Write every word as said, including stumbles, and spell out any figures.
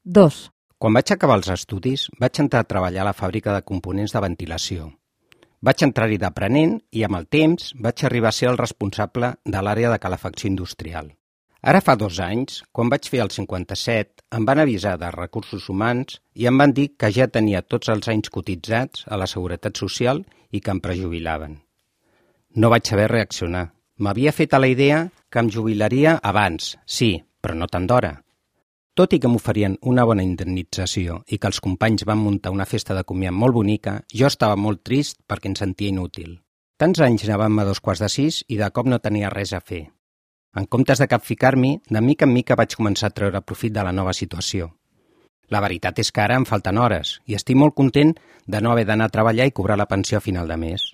Dos. Quan vaig acabar els estudis, vaig entrar a treballar a la fàbrica de components de ventilació. Vaig entrar-hi d'aprenent i, amb el temps, vaig arribar a ser el responsable de l'àrea de calefacció industrial. Ara fa dos anys, quan vaig fer el cinquanta-set, em van avisar de recursos humans i em van dir que ja tenia tots els anys cotitzats a la Seguretat Social i que em prejubilaven. No vaig saber reaccionar. M'havia fet a la idea que em jubilaria abans, sí, però no tant d'hora. Tot i que m'oferien una bona indemnització i que els companys van muntar una festa de comiat molt bonica, jo estava molt trist perquè em sentia inútil. Tants anys anàvem a dos quarts de sis i de cop no tenia res a fer. En comptes de capficar-m'hi, de mica en mica vaig començar a treure profit de la nova situació. La veritat és que ara em falten hores i estic molt content de no haver d'anar a treballar i cobrar la pensió a final de mes.